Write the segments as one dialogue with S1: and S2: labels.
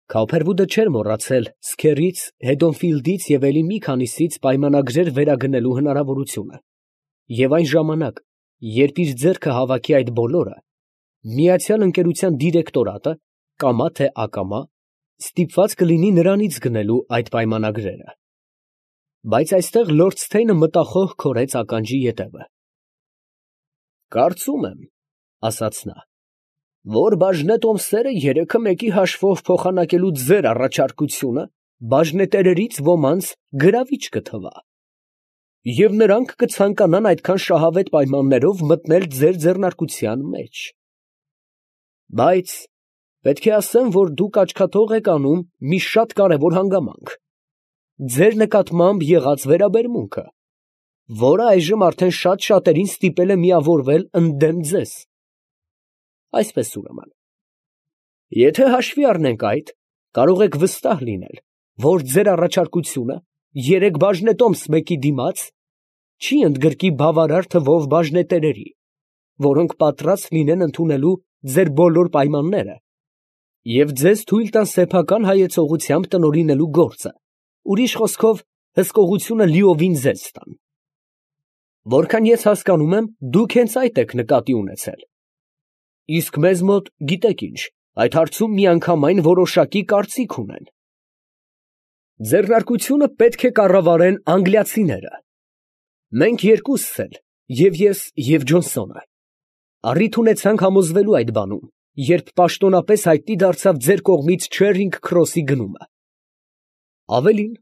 S1: Քավփերվուդը չէր մոռացել Սքերից, Հեդոնֆիլդից և էլի մի քանիսից պայմանագրեր վերագնելու հնարավորությունը, և այն ժամանակ, երբ իր ձեռքը հավաքի այդ բոլորը, Միացյալ Ընկերության դիրեկտորատը, կամա թե ակամա, ստիպված կլինի նրանից գնելու այդ պայմանագրերը։ Բայց այստեղ լորդ Սթեյնը մտախոհ քորեց ականջի ետևը։ «Կարծում եմ, ֊ ասաց նա, ֊ որ բաժնե տոմսերը երեքը մեկի հաշվով փոխանակելու ձեր առաջարկությունը բաժնետերերից ոմանց գրավիչ կթվա, և նրանք կցանկանան այդքան շահավետ պայմաններով մտնել ձեր ձեռնարկության մեջ։ Բայց պետք է ասեմ, որ դուք աչքաթող եք անում մի շատ կարևոր հանգամանք. ձեր նկատմամբ եղած վերաբերմունքը, որը այժմ արդեն շատ շատերին ստիպել է միավորվել ընդդեմ ձեզ։ Այսպես ուրեմն, եթե հաշվի առնենք այդ, կարող եք վստահ լինել, որ ձեր առաջարկությունը երեք բաժնետոմս մեկի դիմաց չի ընդգրկի բավարար թվով բաժնետերերի, որոնք պատրաստ լինեն ընդունելու ձեր բոլոր պայմանները և ձեզ թույլ տան սեփական հայեցողությամբ տնօրինելու գործը, ուրիշ խոսքով, հսկողությունը լիովին ձեզ տան։ Որքան ես հասկանում եմ, դուք հենց այդ եք նկատի ունեցել։ Իսկ մեզ մոտ, գիտեք ինչ, այդ հարցում միանգամայն որոշակի կարծիք ունեն։ Ձեռնարկությունը պետք է կառավարեն անգլիացիները։ Մենք երկուսս էլ, և ես, և Ջոնսոնը, առիթ ունեցանք համոզվելու այդ բանում, երբ պաշտոնապես հայտնի դարձավ ձեր կողմից Չերինգ Քրոսի գնումը։ Ավելին,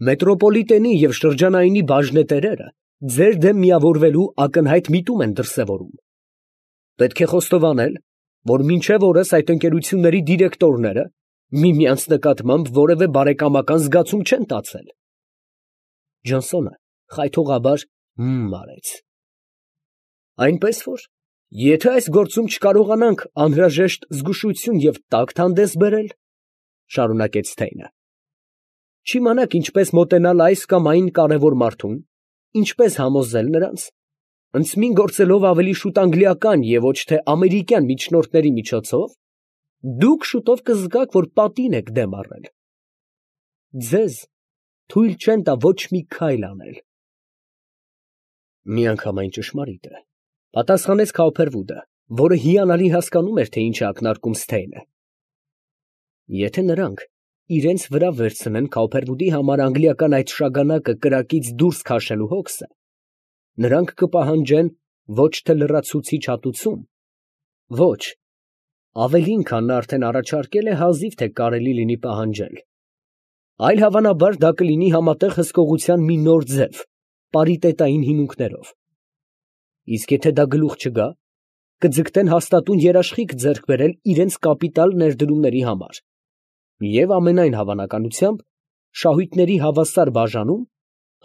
S1: մետրոպոլիտենի և շրջանայինի բաժնետերերը ձեր դեմ միավորվելու ակնհայտ միտում են դրսևորում։ Պետք է խոստովանել, որ մինչև օրս այդ ընկերությունների դիրեկտորները միմյանց նկատմամբ որևէ բարեկամական զգացում չեն տածել։ Ջոնսոնը խայթողաբար արեց։ Այնպես որ, եթե այս գործում չկարողանանք անհրաժեշտ զգուշություն և տակտ հանդես բերել, ֊ շարունակեց Սթեյնը, ֊ չիմանաք ինչպես մոտենալ այս կամ այն կարևոր մարդուն, ինչպես համոզել նրանց, ընծմին գործելով ավելի շուտ անգլիական և ոչ թե ամերիկյան միջնորդների միջոցով, դուք շուտով կզգաք, որ պատին եք դեմ առել։ Ձեզ թույլ չեն տա ոչ մի քայլ անել։ Միանգամայն ճշմարիտ է, ֊ պատասխանեց Քավփերվուդը, որը հիանալի հասկանում էր, թե ինչ է ակնարկում Սթեյնը։ Եթե նրանք իրենց վրա վերցնեն Քավփերվուդի համար անգլիական այդ շագանակը կրակից դուրս քաշելու հոգսը, նրանք կպահանջեն ոչ թե լրացուցիչ հատուցում, ոչ, ավելին, քան նա արդեն առաջարկել է, հազիվ թե կարելի լինի պահանջել, այլ հավանաբար դա կլինի համատեղ հսկողության մի նոր ձև, պարիտետային հիմունքներով։ Իսկ եթե դա գլուխ չգա, կձգտեն հաստատուն երաշխիք ձեռք բերել իրենց կապիտալ ներդրումների համար և ամենայն հավանականությամբ շահույթների հավասար բաժանում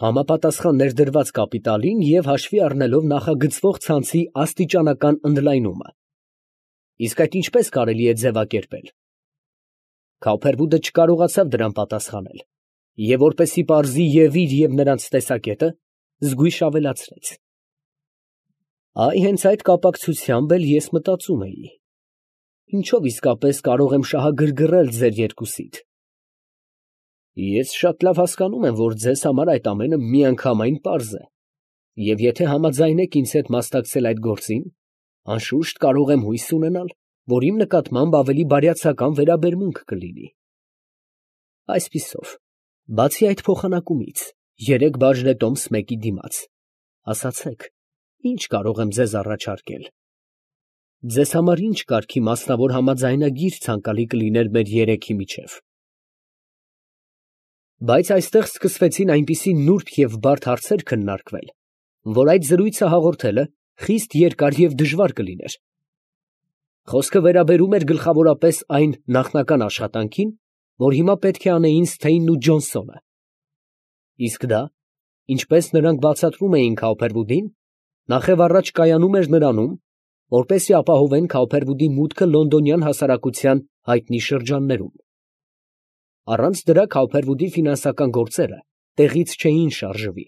S1: համապատասխան ներդրված կապիտալին և հաշվի առնելով նախագծվող ցանցի աստիճանական ընդլայնումը։ Իսկ այդ ինչպես կարելի է ձևակերպել։ Քավփերվուդը չկարողացավ դրան պատասխանել և որպեսզի պարզի և իր, և նրանց տեսակետը, զգույշ ավելացրեց. Այ հենց այդ կապակցությամբ էլ ես մտածում էի. ինչով իսկապես կարող եմ շահագրգռել ձեր երկուսիդ։ Ես շատ լավ հասկանում եմ, որ ձեզ համար այդ ամենը միանգամայն պարզ է, և եթե համաձայնեք ինձ հետ մասնակցել այդ գործին, անշուշտ կարող եմ հույս ունենալ, որ իմ նկատմամբ ավելի բարյացակամ վերաբերմունք կլինի։ Այսպիսով, բացի այդ փոխանակումից, երեք բաժնետոմս մեկի դիմաց, ասացեք, ինչ կարող եմ ձեզ առաջարկել։ Ձեզ համար ինչ կարգի մասնավոր համաձայնագիր ցանկալի կլիներ մեր երեքի միջև։ Բայց այստեղ սկսվեցին այնպիսի նուրբ և բարդ հարցեր քննարկվել, որ այդ զրույցը հաղորդելը խիստ երկար և դժվար կլիներ։ Խոսքը վերաբերում էր գլխավորապես այն նախնական աշխատանքին, որ հիմա պետք է անեին Սթեյնն ու Ջոնսոնը։ Իսկ դա, ինչպես նրանք բացատրում էին Քավփերվուդին, նախևառաջ կայանում էր նրանում, որպեսզի ապահովեն Քավփերվուդի մուտքը լոնդոնյան հասարակության հայտնի շրջաններում։ Առանց դրա Քավփերվուդի ֆինանսական գործերը տեղից չէին շարժվի։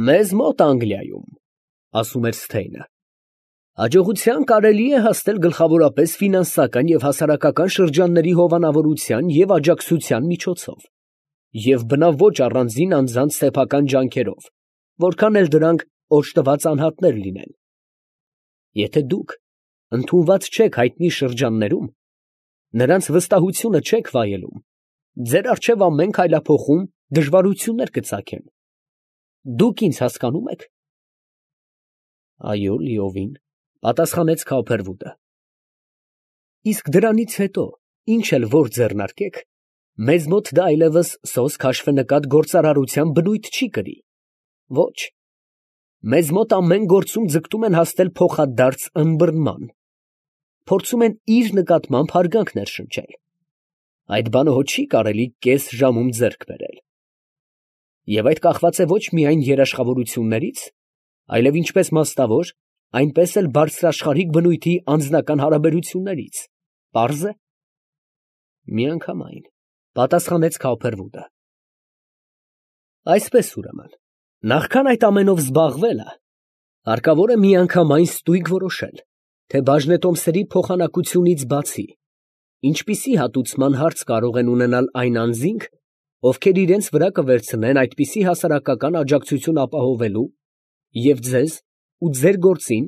S1: «Մեզ մոտ Անգլիայում, ֊ ասում էր Սթեյնը, ֊ Հաջողության կարելի է հասնել գլխավորապես ֆինանսական և հասարակական շրջանների հովանավորության և աջակցության միջոցով, և բնավ ոչ առանձին անձանց սեփական ջանքերով, որքան էլ դրանք օժտված անհատներ լինեն։ Եթե դուք ընդունված չեք հայտնի շրջաններում, նրանց վստահությունը չեք վայելում, ձեր առջև ամեն քայլափոխում դժվարություններ կծագեն։ Դուք ինձ հասկանո՞ւմ եք։ Այո, լիովին, պատասխանեց Քոփերվուդը։ Իսկ դրանից հետո, ինչ էլ որ ձեռնարկեք, մեզ մոտ դա այլևս սոս քաշֆենկատ գործարարության բնույթ չի կրի։ Ոչ, մեզ մոտ ամեն գործում ձգտում են հասնել փոխադարձ ըմբռնման, փորձում են իր նկատմամբ հարգանք ներշնչել։ Այդ բանը հո չի կարելի կես ժամում ձեռք բերել։ Եվ այդ կախված է ոչ միայն երաշխավորություններից, այլև ինչպես մասնավոր, այնպես էլ բարձրաշխարհիկ բնույթի անձնական հարաբերություններից։ Պարզ է։ Միանգամայն, պատասխանեց Քոփերվուդը։ Այսպես ուրեմն, նախքան այդ ամենով զբաղվելը, հարկավոր է միանգամայն ստույգ որոշել, թե բաժնետոմսերի փոխանակությունից բացի, ինչպիսի հատուցման հարց կարող են ունենալ այն անձինք, ովքեր իրենց վրա կվերցնեն այդպիսի հասարակական աջակցություն ապահովելու և ձեզ ու ձեր գործին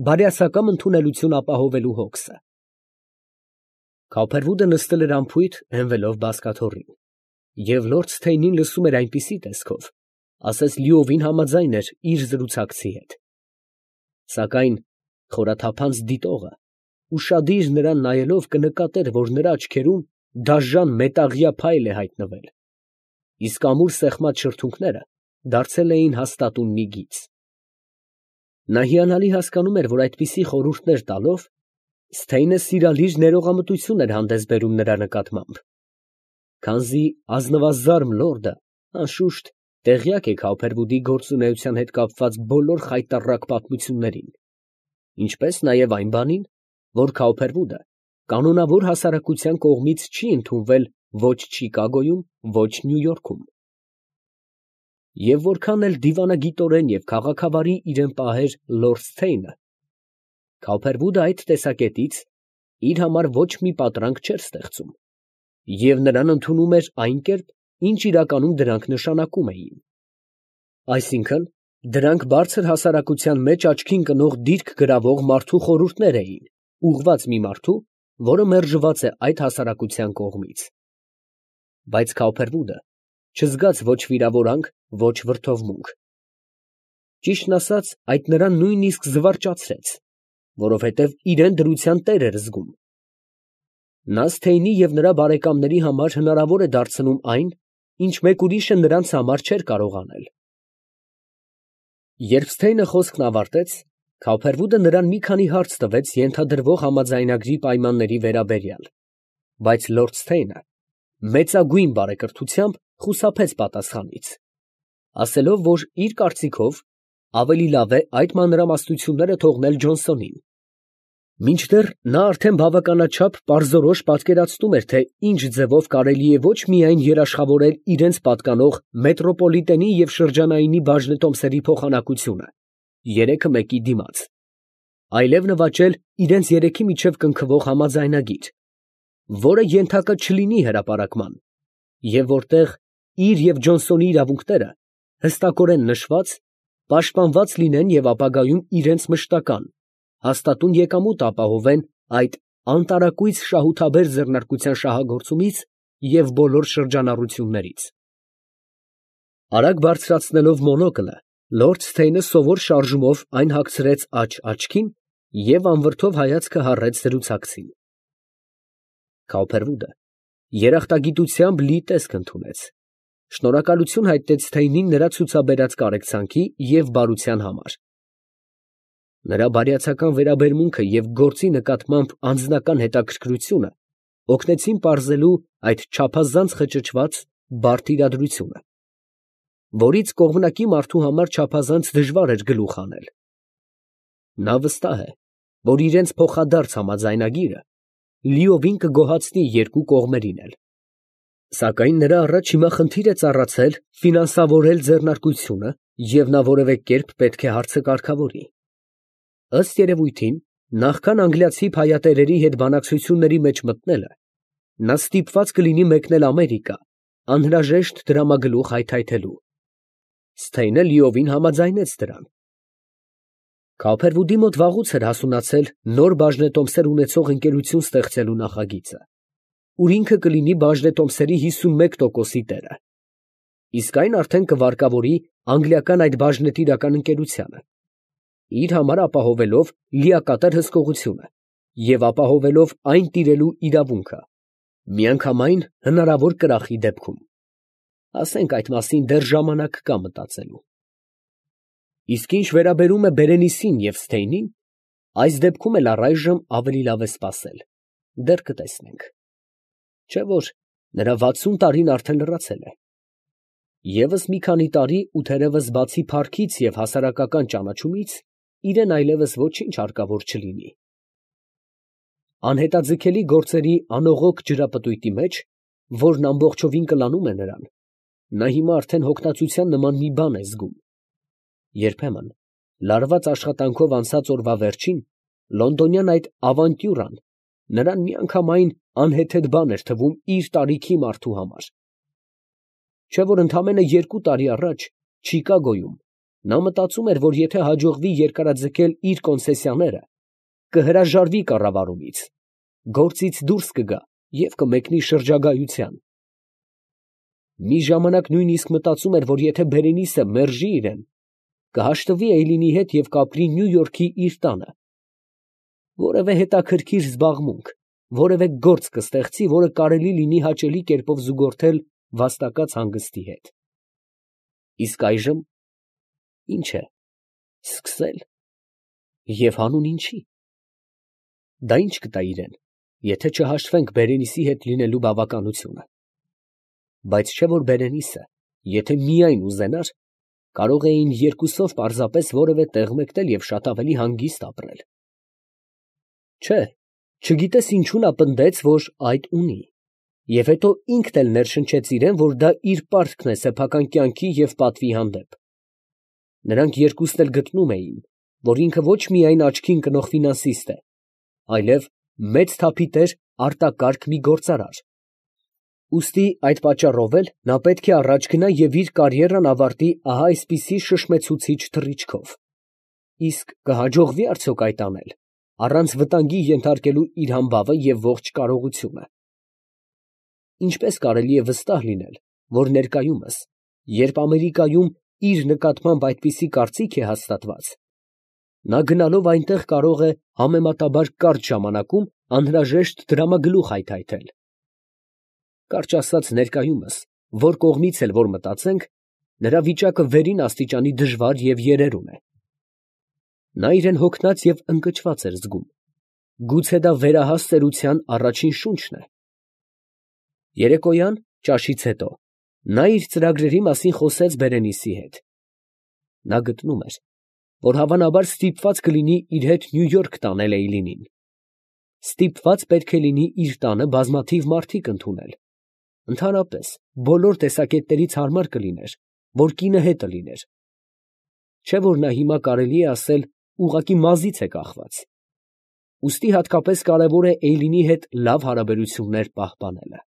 S1: բարյացակամ ընդունելություն ապահովելու հոգսը։ Քոփերվուդը նստել էր անփույթ, հենվելով բազկաթոռին, և լորդ Սթեյնին լսում էր այնպիսի տեսքով, ասես լիովին համաձայն էր իր զրուցակցի հետ։ Սակայն խորաթափանց դիտողը ուշադիր նրան նայելով կնկատեր, որ նրա աչքերում դաժան մետաղյա փայլ է հայտնվել, իսկ ամուր սեղմած շրթունքները դարձել էին հաստատուն մի գիծ։ Նա հիանալի հասկանում էր, որ այդպիսի խորհուրդներ տալով Սթեյնը սիրալիր ներողամտություն էր հանդես բերում նրա նկատմամբ, քանզի ազնվազարմ լորդը անշուշտ տեղյակ է Քոփերվուդի գործունեության հետ կապված բոլոր խայտառակ պատմություններին, ինչպես նաև այն բանին, որ Քոփերվուդը կանոնավոր հասարակության կողմից չի ընդունվել ոչ Չիկագոյում, ոչ Նյու Յորքում։ Եվ որքան էլ դիվանագիտորեն և քաղաքավարի իրան պահեր լորդ Սթեյնը, Քոփերվուդը այդ տեսակետից իր համար ոչ մի պատրանք չէր ստեղծում և նրան ընդունում էր այն կերպ, ինչ իրականում դրանք նշանակում էին։ Այսինքն, դրանք բարձր հասարակության մեջ աչքին կնող դիրք գրավող մարդու խորհուրդներ էին, ուղղված մի մարդու, որը մերժված է այդ հասարակության կողմից։ Բայց Քոփերվուդը չզգաց ոչ վիրավորանք, ոչ վրդովմունք։ Ճիշտն ասած, այդ նրան նույնիսկ զվարճացրեց, որովհետև իրեն դրության տեր էր զգում։ Նա Սթեյնի և նրա բարեկամների համար հնարավոր է դարձնում այն, ինչ մեկ ուրիշը նրանց համար չէր կարող անել։ Երբ Սթեյնը խոսքն ավարտեց, Քոփերվուդը նրան մի քանի հարց տվեց ենթադրվող համաձայնագրի պայմանների վերաբերյալ, բայց լորդ Սթեյնը մեծագույն բարեկրթությամբ խուսափեց պատասխանից, ասելով, որ իր կարծիքով ավելի լավ է այդ մանրամասնությունները թողնել Ջոնսոնին, մինչդեռ նա արդեն բավականաչափ պարզորոշ պատկերացնում էր, թե ինչ ձևով կարելի է ոչ միայն երաշխավորել իրենց պատկանող մետրոպոլիտենի և շրջանայինի բաժնետոմսերի փոխանակությունը երեքը մեկի դիմաց, այլև նվաճել իրենց երեքի միջև կնքվող համաձայնագիր, որը ենթակա չլինի հրապարակման, և որտեղ իր և Ջոնսոնի իրավունքները հստակորեն նշված, պաշտպանված լինեն և ապագայում իրենց մշտական, հաստատուն եկամուտ ապահովեն այդ անտարակույս շահութաբեր ձեռնարկության շահագործումից և բոլոր շրջանառություններից։ Արագ բարձրացնելով մոնոկլը, լորդ Սթեյնը սովոր շարժումով այն հագցրեց աջ աչքին և անվրդով հայացքը հառեց զրուցակցին։ Քոփերվուդը երախտագիտությամբ լի տեսք ընդունեց, շնորհակալություն հայտնեց Սթեյնին նրա ցուցաբերած կարեկցանքի և բարության համար։ Նրա բարյացակամ վերաբերմունքը և գործի նկատմամբ անձնական հետաքրքրությունը օգնեցին պարզելու այդ չափազանց խճճված, բարդ իրադրությունը, որից կողմնակի մարդու համար չափազանց դժվար էր գլուխ հանել։ Նա վստահ է, որ իրենց փոխադարձ համաձայնագիրը լիովին կգոհացնի երկու կողմերին էլ, սակայն նրա առաջ հիմա խնդիր է ծառացել ֆինանսավորել ձեռնարկությունը և նա որևէ կերպ պետք է հարցը կարգավորի։ Ըստ երևույթին, նախքան անգլիացի փայատերերի հետ բանակցությունների մեջ մտնելը, նա ստիպված կլինի մեկնել Ամերիկա, անհրաժեշտ դրամագլուխ հայթայթելու։ Սթեյնը լիովին համաձայնեց դրան։ Քոփերվուդի մոտ վաղուց էր հասունացել նոր բաժնետոմսեր ունեցող ընկերություն ստեղծելու նախագիծը, ուր ինքը կլինի բաժնետոմսերի 51%-ի տերը։ Իսկ այն արդեն կվարկավորի անգլիական այդ բաժնետիրական ընկերությանը, իր համար ապահովելով լիակատար հսկողությունը և ապահովելով այն տիրելու իրավունքը, միանգամայն հնարավոր կրախի դեպքում։ Ասենք այդ մասին դեռ ժամանակ կա մտածելու։ Իսկ ինչ վերաբերում է Բերենիսին և Սթեյնին, այս դեպքում էլ առայժմ ավելի լավ է սպասել, դեռ կտեսնենք։ Չէ՞ որ նրա 60 տարին արդեն լրացել է։ Եվս մի քանի տարի ու թերևս բացի փառքից և հասարակական ճանաչումից իրեն այլևս ոչինչ հարկավոր չլինի։ Անհետաձգելի գործերի անողոք ջրապտույտի մեջ, որն ամբողջովին կլանում է նրան, նա հիմա արդեն հոգնածության նման մի բան է զգում։ Երբեմն, լարված աշխատանքով անցած օրվա վերջին, լոնդոնյան այդ ավանտյուրան նրան միանգամայն անհեթեթ բան էր թվում իր տարիքի մարդու համար։ Չէ՞ որ ընդամենը 2 տարի առաջ Չիկագոյում նա մտածում էր, որ եթե հաջողվի երկարաձգել իր կոնցեսիաները, կհրաժարվի կառավարումից, գործից դուրս կգա և կմեկնի շրջագայության։ Մի ժամանակ նույնիսկ մտածում էր, որ եթե Բերենիսը մերժի իրեն, կհաշտվի Էյլինի հետ և կապրի Նյու Յորքի իր տանը։ Որևէ հետաքրքիր զբաղմունք, որևէ գործ կստեղծի, որը կարելի լինի հաճելի կերպով զուգորդել վաստակած հանգստի հետ։ Իսկ այժմ ի՞նչ է, սկսել, և հանուն ինչի։ Դա ի՞նչ կտա իրան, եթե չհաշտվենք Բերենիսի հետ լինելու բավականությունը։ Բայց չէ՞ որ Բերենիսը, եթե միայն ուզենար, կարող էին երկուսով պարզապես որևէ տեղ մեկնել և շատ ավելի հանգիստ ապրել։ Չէ, չգիտես ինչու նա պնդեց, որ այդ ունի, և հետո ինքն էլ ներշնչեց իրան, որ դա իր պարտքն է սեփական կյանքի և պատվի հանդեպ։ Նրանք երկուսն էլ գտնում էին, որ ինքը ոչ միայն աչքի ընկնող ֆինանսիստ է, այլև մեծ թափի տեր արտակարգ մի գործարար։ Ուստի այդ պատճառով էլ նա պետք է առաջ գնա և իր կարիերան ավարտի ահա այսպիսի շշմեցուցիչ թռիչքով։ Իսկ կհաջողվի՞ արդյոք այդ անել, առանց վտանգի ենթարկելու իր համբավը և ողջ կարողությունը։ Ինչպե՞ս կարելի է վստահ լինել, որ ներկայումս, երբ Ամերիկայում իր նկատմամբ այդպիսի կարծիք է հաստատված, նա գնալով այնտեղ կարող է համեմատաբար կարճ ժամանակում անհրաժեշտ դրամագլուխ հայթայթել։ Կարճ ասած, ներկայումս, որ կողմից էլ որ մտածենք, նրա վիճակը վերին աստիճանի դժվար և երերուն է։ Նա իրան հոգնած և ընկճված էր զգում, գուցե դա վերահաս ծերության առաջին շունչն է։ Երեկոյան, ճաշից հետո, նա իր ծրագրերի մասին խոսեց Բերենիսի հետ։ Նա գտնում էր, որ հավանաբար ստիպված կլինի իր հետ Նյու Յորք տանել Էյլինին։ Ստիպված պետք է լինի իր տանը բազմաթիվ մարդիկ ընդունել, ընդհանրապես բոլոր տեսակետներից հարմար կլիներ, որ կինը հետը լիներ։ Չէ՞ որ նա հիմա կարելի է ասել ուղղակի մազից է կախված։ Ուստի հատկապես կարևոր է Էյլինի հետ լավ հարաբերություններ պահպանելը։